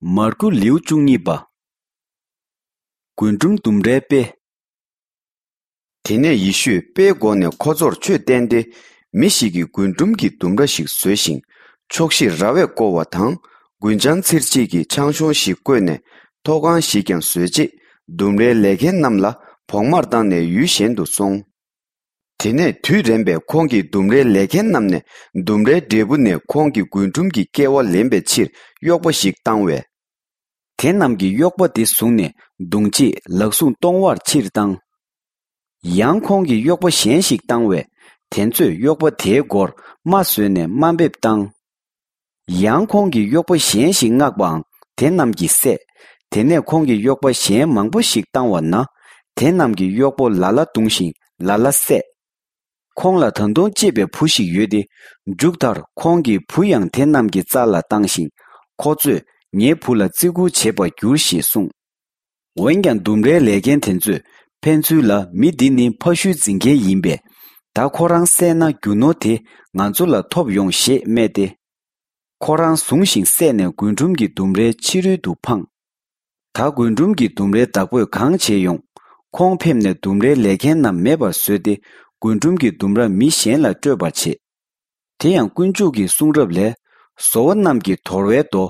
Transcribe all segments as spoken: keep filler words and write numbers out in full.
མར་ཁུ་ལེའུ་བཅུ་གཉིས་པ། རྒུན་འབྲུམ་ལྡུམ་རའི་དཔེ། དེ་ནས་ཡེ་ཤུས་དཔེའི་སྒོ་ནས་ཁོ་ཚོར་ཆོས་བསྟན་ཏེ། མི་ཞིག་གིས་རྒུན་འབྲུམ་གྱི་ལྡུམ་ར་ཞིག་བཟོས་ཤིང་། ཕྱོགས་བཞིར་ར་བས་བསྐོར་བ་དང་། རྒུན་ཆང་འཚིར་བྱེད་ཀྱི་ཆང་གཞོང་ཞིག་བརྐོས་ནས། ཐོག་ཁང་ཞིག་ཀྱང་བཟོས་རྗེས། ལྡུམ་རའི་ལས་མཁན་རྣམས་ལ་བོགས་མར་བཏང་ནས་ཡུལ་གཞན་དུ་སོང་། དེ་ནས་དུས་རན་པས་ཁོང་གིས་ལྡུམ་རའི་ལས་མཁན་རྣམས་ནས་ལྡུམ་རའི་འབྲས་བུ་ནས་ཁོང་གི་རྒུན་འབྲུམ་གྱི་སྐལ་བ་ལེན་པའི་ཕྱིར་གཡོག་པོ་ཞིག་བཏང་བས། དེ་རྣམས་ཀྱིས་གཡོག་པོ་དེ་བཟུང་ནས་བརྡུང་རྗེས་ལག་ཟུང་སྟོང་བར་ཕྱིར་བཏང་། ཡང་ཁོང་གིས་གཡོག་པོ་གཞན་ཞིག་བཏང་བས། དེ་ཚོས་གཡོག་པོ་དེའི་མགོར་རྨ་བཟོས་ནས་དམའ་འབེབས་བཏང་། ཡང་ཁོང་གིས་གཡོག་པོ་གཞན་ཞིག་མངགས་པའང་དེ་རྣམས་ཀྱིས་བསད། དེ་ནས་ཁོང་གིས་གཡོག་པོ་གཞན་མང་པོ་ཞིག་བཏང་བ་ན། དེ་རྣམས་ཀྱིས་གཡོག་པོ་ལ་ལ་བརྡུངས་ཤིང་ལ་ལ་བསད། ཁོང་ལ་ད་དུང་གཅེས་པའི་བུ་ཞིག་ཡོད་དེ། མཇུག་མཐར་ཁོང་གི་བུ་ཡང་དེ་རྣམས་ཀྱི་རྩ་ལ་བཏང་ཞིང་། ཁོ་ཚོས་ངའི་བུ་ལ་བརྩི་བཀུར་བྱེད་པར་འགྱུར་ཞེས་གསུངས། འོན་ཀྱང་ལྡུམ་རའི་ལས་མཁན་དེ་ཚོས་ཕན་ཚུན་ལ། མི་འདི་ནི་ཕ་ཤུལ་འཛིན་མཁན་ཡིན་པས། ད་ཁོ་རང་བསད་ན་རྒྱུ་ནོར་དེ་ང་ཚོ་ལ་ཐོབ་ཡོང་ཞེས་སྨྲས་ཏེ། ཁོ་རང་བཟུང་ཞིང་བསད་ནས་རྒུན་འབྲུམ་གྱི་ལྡུམ་རའི་ཕྱི་རོལ་དུ་འཕངས། ད་རྒུན་འབྲུམ་གྱི་ལྡུམ་རའི་བདག་པོས་གང་བྱེད་ཡོང་། ཁོང་ཕེབས་ནས་ལྡུམ་རའི་ལས་མཁན་རྣམས་མེད་པར་བཟོས་ཏེ། རྒུན་འབྲུམ་གྱི་ལྡུམ་ར་མི་གཞན་ལ་སྤྲོད་པར་བྱེད། དེ་ཡང་དཀོན་མཆོག་གི་གསུང་རབ་ལས། བཟོ་བོ་རྣམས་ཀྱིས་དོར་བའི་རྡོ།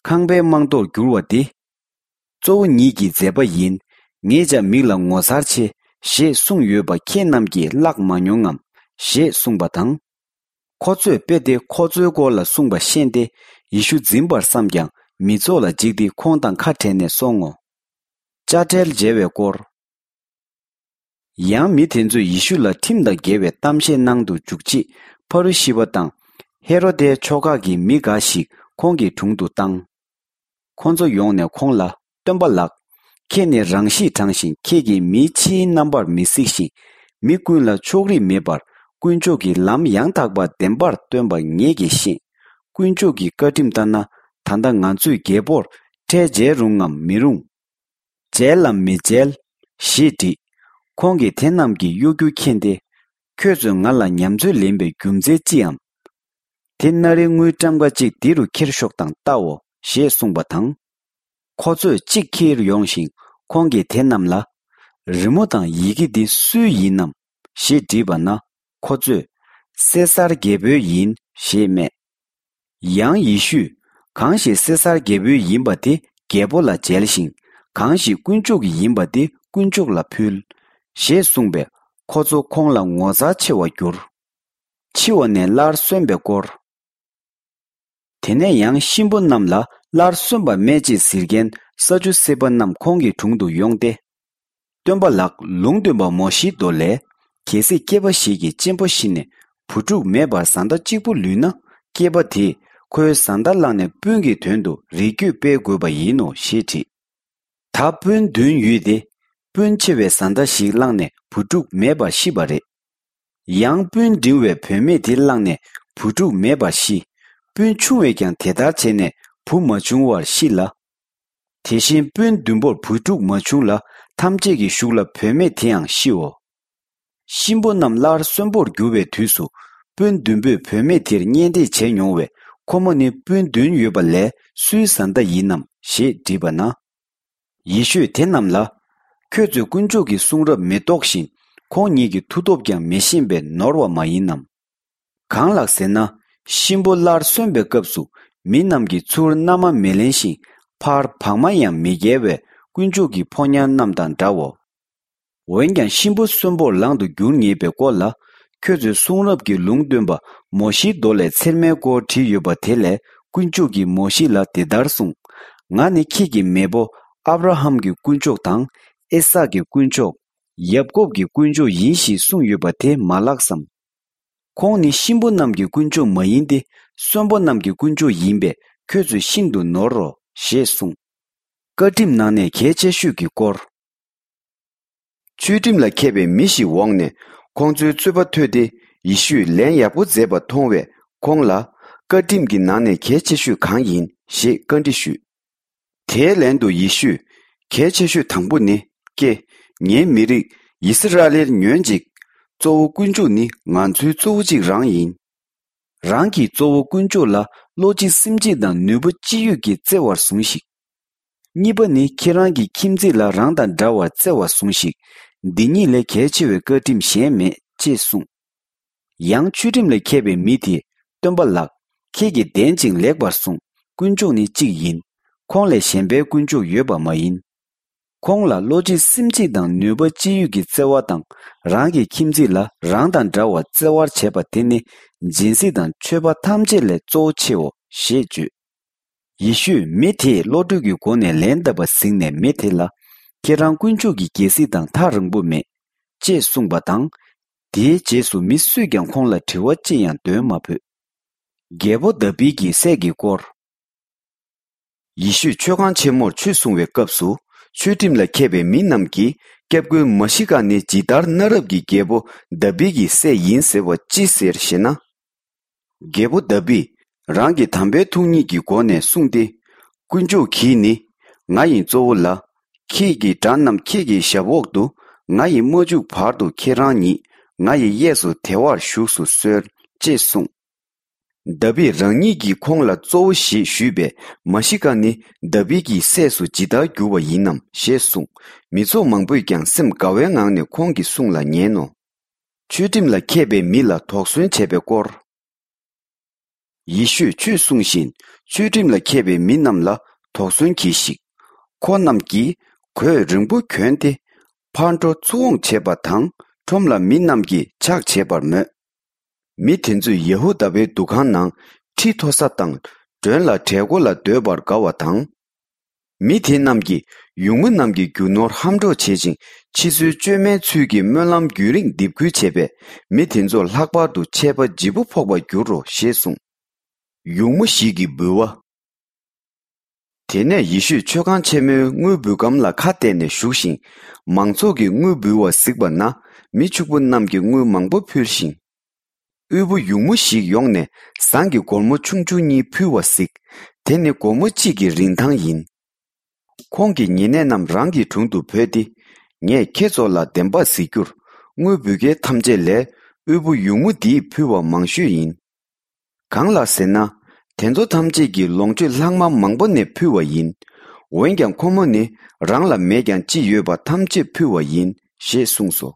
ཁང་པའི་རྨང་རྡོར་འགྱུར་བ་འདི། གཙོ་བོ་ཉིད་ཀྱི་མཛད་པ་ཡིན། ངེད་ཅག་མིག་ལ་ངོ་མཚར་ཆེ། ཞེས་གསུངས་ཡོད་པ་ཁྱེད་རྣམས་ཀྱིས་བཀླགས་མ་མྱོང་ངམ། ཞེས་གསུངས་པ་དང་། ཁོ་ཚོས་དཔེ་དེ་ཁོ་ཚོའི་སྐོར་ལ་གསུངས་པ་ཤེས་ཏེ། ཡེ་ཤུ་འཛིན་པར་བསམས་ཀྱང་། མི་ཚོགས་ལ་འཇིགས་ཏེ་ཁོང་དང་ཁ་བྲལ་ནས་སོང་ངོ་། དཔྱ་ཁྲལ་འཇལ་བའི་སྐོར། ཡང་མི་དེ་ཚོས་ཡེ་ཤུ་ལ་ཁྲིམས་དང་འགལ་བའི་གཏམ་བཤད་གནང་དུ་འཇུག་ཆེད། ཕ་རུ་ཤི་པ་དང་། ཧེ་རོ་དའི་ཕྱོགས་ཁག་གི་མི་འགའ་ཞིག་ཁོང་གི་དྲུང་དུ་བཏང་། ཁོ་ཚོ་ཡོང་ནས་ཁོང་ལ། སྟོན་པ་ལགས། ཁྱེད་ནི་རང་གཤིས་དྲང་ཞིང་། ཁྱེད་ཀྱིས་མི་ཕྱིའི་རྣམ་པར་མི་གཟིགས་ཤིང་། མི་ཀུན་ལ་ཕྱོགས་རིས་མེད་པར། དཀོན་མཆོག་གི་ལམ་ཡང་དག་པ་བདེན་པར་སྟོན་པ་ངེད་ཀྱིས་ཤེས། དཀོན་མཆོག་གི་བཀའ་ཁྲིམས་ལྟར་ན། ད་ལྟ་ང་ཚོས་རྒྱལ་པོར་ཁྲལ་འཇལ་རུང་ངམ་མི་རུང་། འཇལ་ལམ་མི་འཇལ། ཞེས་དྲིས། ཁོང་གིས་དེ་རྣམས་ཀྱི་གཡོ་སྒྱུ་མཁྱེན་ཏེ། ཁྱོད་ཚོས་ང་ལ་ཉམས་ཚོད་ལེན་པའི་རྒྱུ་མཚན་ཅིའམ། དེ་ན་རེ་དངུལ་ཀྲམ་ཀ་གཅིག་འདི་རུ་ཁྱེར་ཤོག་དང་བལྟའོ། ཞེས་གསུངས་པ་དང་། ཁོ་ཚོས་གཅིག་ཁྱེར་ཡོང་ཞིང་། ཁོང་གིས་དེ་རྣམས་ལ། རི་མོ་དང་ཡི་གེ་འདི་སུའི་ཡིན་ནམ། ཞེས་དྲིས་པ་ན། ཁོ་ཚོས། སེ་སར་རྒྱལ་པོའི་ཡིན། ཞེས་སྨྲས། ཡང་ཡེ་ཤུས། གང་ཞིག་སེ་སར་རྒྱལ་པོའི་ཡིན་པ་དེ་རྒྱལ་པོ་ལ་འཇལ་ཞིང་། གང་ཞིག་དཀོན་མཆོག་གི་ཡིན་པ་དེ་དཀོན་མཆོག་ལ་ཕུལ། ཞེས་གསུངས་པས། ཁོ་ཚོ་ཁོང་ལ་ངོ་མཚར་ཆེ་བར་གྱུར། འཆི་བ་ནས་སླར་གསོན་པའི་སྐོར། དེ་ནས་ཡང་གཤིན་པོ་རྣམས་ལ་སླར་གསོན་པ་སྨྲས་ཅེས་ཟེར་མཁན་ས་ཅུ་སེ་པ་རྣམས་ཁོང་གི་དྲུང་དུ་ཡོང་སྟེ། སྟོན་པ་ལགས། ལུང་སྟོན་པ་མོ་ཤེའི་མདོ་ལས། གལ་སྲིད་སྐྱེས་པ་ཞིག་གིས་གཅེན་པོ་ཤི་ནས་བུ་ཕྲུག་མེད་པར་བཟའ་ཟླ་གཅིག་པུ་ལུས་ན། སྐྱེས་པ་དེས་ཁོའི་བཟའ་ཟླ་བླངས་ནས་སྤུན་གྱི་དོན་དུ་རིགས་རྒྱུད་སྤེལ་དགོས་པ་ཡིན་ནོ། ཞེས་དྲིས། ད་སྤུན་བདུན་ཡོད་དེ། སྤུན་ཆེ་བའི་བཟའ་ཟླ་ཞིག་བླངས་ནས་བུ་ཕྲུག་མེད་པར་ཤི་བ་རེད། ཡང་སྤུན་འབྲིང་བའི་བུད་མེད་དེ་བླངས་ནས་བུ་ཕྲུག་མེད་པར་ཤི། སྤུན་ཆུང་བས་ཀྱང་དེ་ལྟར་བྱས་ནས་བུ་མ་བྱུང་བར་ཤི་ལ། དེ་བཞིན་སྤུན་བདུན་པོར་བུ་ཕྲུག་མ་བྱུང་ལ། ཐམས་ཅད་ཀྱི་གཞུག་ལ་བུད་མེད་དེའང་ཤིའོ། གཤིན་པོ་རྣམས་སླར་གསོན་པོར་འགྱུར་བའི་དུས་སུ། སྤུན་བདུན་པོས་བུད་མེད་དེར་གཉེན་སྒྲིག་བྱས་མྱོང་བས། ཁོ་མོ་ནི་སྤུན་བདུན་ཡོད་པ་ལས་སུའི་བཟའ་ཟླ་ཡིན་ནམ། ཞེས་དྲིས་པ་ན། ཡེ་ཤུས་དེ་རྣམས་ལ། ཁྱོད་ཚོས་དཀོན་མཆོག་གི་གསུང་རབ་མི་རྟོགས་ཤིང་། ཁོང་ཉིད་ཀྱི་མཐུ་སྟོབས་ཀྱང་མི་ཤེས་པས་ནོར་བ་མ་ཡིན་ནམ། གང་ལགས་ཟེར་ན། གཤིན་པོ་སླར་གསོན་པའི་སྐབས་སུ། མི་རྣམས་ཀྱིས་ཚུར་མནའ་མ་མི་ལེན་ཞིང་། ཕར་བག་མ་ཡང་མི་བཀལ་བས། དཀོན་མཆོག་གི་ཕོ་ཉ་རྣམས་དང་འདྲའོ། འོན་ཀྱང་། གཤིན་པོ་གསོན་པོར་ལང་དུ་འགྱུར་ངེས་པའི་སྐོར་ལ། ཁྱོད་ཚོས་གསུང་རབ་ཀྱི་ལུང་སྟོན་པ་མོ་ཤེའི་མདོ་ལས། ཚེར་མའི་སྐོར་བྲིས་ཡོད་པ་དེ་ལས། དཀོན་མཆོག་གིས་མོ་ཤེ་ལ་འདི་ལྟར་གསུངས། ང་ནི་ཁྱེད་ཀྱི་མེས་པོ་ཨབ་ར་ཧམ་གྱི་དཀོན་མཆོག་དང་། ཨི་སཱག་གི་དཀོན་མཆོག་ཡབ་ཀོབ་ཀྱི་དཀོན་མཆོག་ཡིན་ཞེས་གསུངས་ཡོད་པ་དེ་མ་ལགས་སམ། ཁོང་ནི་གཤིན་པོ་རྣམས་ཀྱི་དཀོན་མཆོག་མ་ཡིན་ཏེ། གསོན་པོ་རྣམས་ཀྱི་དཀོན་མཆོག་ཡིན་པས། ཁྱོད་ཚོས་ཤིན་ཏུ་ནོར་རོ། ཞེས་གསུངས། བཀའ་ཁྲིམས་ནང་ནས་གལ་ཆེ་ཤོས་ཀྱི་སྐོར། ཆོས་ཁྲིམས་ལ་མཁས་པའི་མི་ཞིག་འོངས་ནས། ཁོང་ཚོའི་རྩོད་པ་ཐོས་ཏེ། ཡེ་ཤུས་ལན་ཡག་པོ་མཛད་པ་མཐོང་བས། ཁོང་ལ། བཀའ་ཁྲིམས་ཀྱི་ནང་ནས་གལ་ཆེ་ཤོས་གང་ཡིན། ཞེས་བཀའ་འདྲི་ཞུས། དེའི་ལན་དུ་ཡེ་ཤུས། གལ་ཆེ་ཤོས་དང་པོ་ནི། ཀྱེ། ངའི་མི་རིགས་ཡི་སི་ར་ཨེལ་ཉོན་ཅིག། གཙོ་བོ་དཀོན་མཆོག་ནི་ང་ཚོའི་གཙོ་བོ་གཅིག་རང་ཡིན། རང་གི་གཙོ་བོ་དཀོན་མཆོག་ལ་བློ་གཅིག་སེམས་གཅིག་དང་ནུས་པ་ཅི་ཡོད་ཀྱིས་བརྩེ་བར་ཟུངས་ཤིག། གཉིས་པ་ནི་ཁྱེད་རང་གི་ཁྱིམ་མཚེས་ལ་རང་དང་འདྲ་བར་བརྩེ་བར་ཟུངས་ཤིག་འདི་གཉིས་ལས་གལ་ཆེ་བའི་བཀའ་ཁྲིམས་གཞན་མེད་ཅེས་གསུངས། ཡང་ཆོས་ཁྲིམས་ལ་མཁས་པའི་མི་དེས་སྟོན་པ་ལགས། ཁྱེད་ཀྱིས་བདེན་ཅིང་ལེགས་པར་གསུངས། དཀོན་མཆོག་ནི་གཅིག་ཡིན། ཁོང་ལས་གཞན་པའི་དཀོན་མཆོག་ཡོད་པ་མ་ཡིན། ཁོང་ལ་བློ་གཅིག་སེམས་གཅིག་དང་ནུས་པ་ཅི་ཡོད་ཀྱི་བརྩེ་བ་དང་རང་གི་ཁྱིམ་མཚེས་ལ་རང་དང་འདྲ་བར་བརྩེ་བར་བྱེད་པ་དེ་ནི་སྦྱིན་སྲེག་དང་མཆོད་པ་ཐམས་ཅད་ལས་གཙོ་བོ་ཆེའོ་ཞེས་བརྗོད། ཡེ་ཤུས་མི་དེས་བློ་གྲོས་ཀྱི་སྒོ་ནས་ལན་བཏབ་པ་གཟིགས་ནས་མི་དེ་ལ། ཁྱེད་རང་དཀོན་མཆོག་གི་རྒྱལ་སྲིད་དང་ཐག་རིང་པོ་མེད། ཅེས་གསུངས་པ་དང་། དེའི་རྗེས་སུ་མི་སུས་ཀྱང་ཁོང་ལ་དྲི་བ་ཅི་ཡང་འདོན་མ་ཕོད། རྒྱལ་པོ་དཱ་བིད་ཀྱི་སྲས་ཀྱི་སྐོར། ཡེ་ཤུས་མཆོད་ཁང་ཆེན་མོར་ཆོས་གསུང་བའི་སྐབས་སུ། ཆོས་ཁྲིམས་ལ་མཁས་པའི་མི་རྣམས་ཀྱིས། སྐྱབས་མགོན་མཱ་ཤི་ཀ་ནི་ཇི་ལྟར་གནའ་རབས་ཀྱི་རྒྱལ་པོ་དཱ་བིད་ཀྱི་སྲས་ཡིན་ཟེར་བ་ཅི་ཟེར་ཞེ་ན། རྒྱལ་པོ་དཱ་བིད་རང་གི་དམ་པའི་ཐུགས་ཉིད་ཀྱི་སྒོ་ནས་གསུངས་ཏེ། དཀོན་མཆོག་གིས་ནི། ང་ཡི་གཙོ་བོ་ལ། ཁྱེད་ཀྱི་དགྲ་རྣམས་ཁྱེད་ཀྱི་ཞབས་འོག་ཏུ། ང་ཡིས་མ་བཅུག་བར་དུ་ཁྱེད་རང་ཉིད། ང་ཡི་གཡས་སུ་བདེ་བར་བཞུགས་སུ་གསོལ། ཅེས་གསུངས། དཱ་བིད་རང་ཉིད་ཀྱིས་ཁོང་ལ་གཙོ་བོ་ཞེས་ཞུས་པས། མཱ་ཤི་ཀ་ནི་དཱ་བིད་ཀྱི་སྲས་སུ་ཇི་ལྟར་འགྱུར་བ་ཡིན་ནམ་ཞེས་གསུངས། མི་ཚོགས་མང་པོས་ཀྱང་སེམས་དགའ་བའི་ངང་ནས་ཁོང་གི་གསུང་ལ་ཉན་ནོ། ཆོས་ཁྲིམས་ལ་མཁས་པའི་མི་ལ་དོགས་ཟོན་བྱས་པའི་སྐོར། ཡེ་ཤུས་ཆོས་གསུང་བཞིན། ཆོས་ཁྲིམས་ལ་མཁས་པའི་མི་རྣམས་ལ་དོགས་ཟོན་གྱིས་ཤིག་ཁོ་རྣམས་ཀྱིས་གོས་རིང་པོ་གྱོན་ཏེ། ཕར་འགྲོ་ཚུར་འོང་བྱེད་པ་དང་། ཁྲོམ་ལ་མི་རྣམས་ཀྱིས་ཕྱག་བྱེད་པར་མོས། མི་དེ་ཚོས་ཡ་ཧུ་དཱ་པའི་འདུ་ཁང་ནང་ཁྲི་མཐོ་ས་དང་། མགྲོན་ལ་གྲལ་མགོ་ལ་སྡོད་པར་དགའ་བ་དང་། མི་དེ་རྣམས་ཀྱིས་ཡུགས་མོ་རྣམས་ཀྱི་རྒྱུ་ནོར་ཧམ་འཕྲོག་བྱེད་ཅིང་། ཕྱི་ཚུལ་བཅོས་མའི་ཚུལ་གྱིས་སྨོན་ལམ་རྒྱུན་རིང་འདེབས་ཁུལ་བྱས་པས། མི་དེ་ཚོ་ལྷག་པར་དུ་ཆད་པ་ལྗིད་པོ་ཕོག་པར་འགྱུར་རོ་ཞེས་གསུངས། ཡུགས་མོ་ཞིག་གི་འབུལ་བ། དེ་ནས་ཡེ་ཤུས་མཆོད་ཁང་ཆེན་མོའི་དངུལ་འབུལ་སྒམ་ལ་ཁ་གཏད་ནས་བཞུགས་ཤིང་། མང་ཚོགས་ཀྱིས་དངུལ་འབུལ་བ་གཟིགས་པ་ན། མི་ཕྱུག་པོ་རྣམས་ཀྱིས་དངུལ་མང་པོ་ཕུལ་ཞིང་། དབུལ་པོ་ཡུགས་མོ་ཞིག་ཡོང་ནས་ཟངས་ཀྱི་སྒོར་མོ་ཆུང་ཆུང་གཉིས་ཕུལ་བ་གཟིགས། དེ་ནི་སྒོར་མོ་གཅིག་གི་རིན་ཐང་ཡིན། ཁོང་གི་ཉེ་གནས་རྣམས་རང་གི་དྲུང་དུ་བོས་ཏེ། ངས་ཁྱེད་ཚོ་ལ་བདེན་པ་ཟེར་རྒྱུར། དངུལ་འབུལ་མཁན་ཐམས་ཅད་ལས། དབུལ་པོ་ཡུགས་མོ་འདིས་ཕུལ་བ་མང་ཤོས་ཡིན། གང་ལགས་ཟེར་ན། དེ་ཚོ་ཐམས་ཅད་ཀྱིས་ལོངས་སྤྱོད་ལྷག་མ་མང་པོ་ནས་ཕུལ་བ་ཡིན། འོན་ཀྱང་ཁོ་མོ་ནི་རང་ལ་མེད་ཀྱང་ཅི་ཡོད་པ་ཐམས་ཅད་ཕུལ་བ་ཡིན་ཞེས་གསུངས་སོ།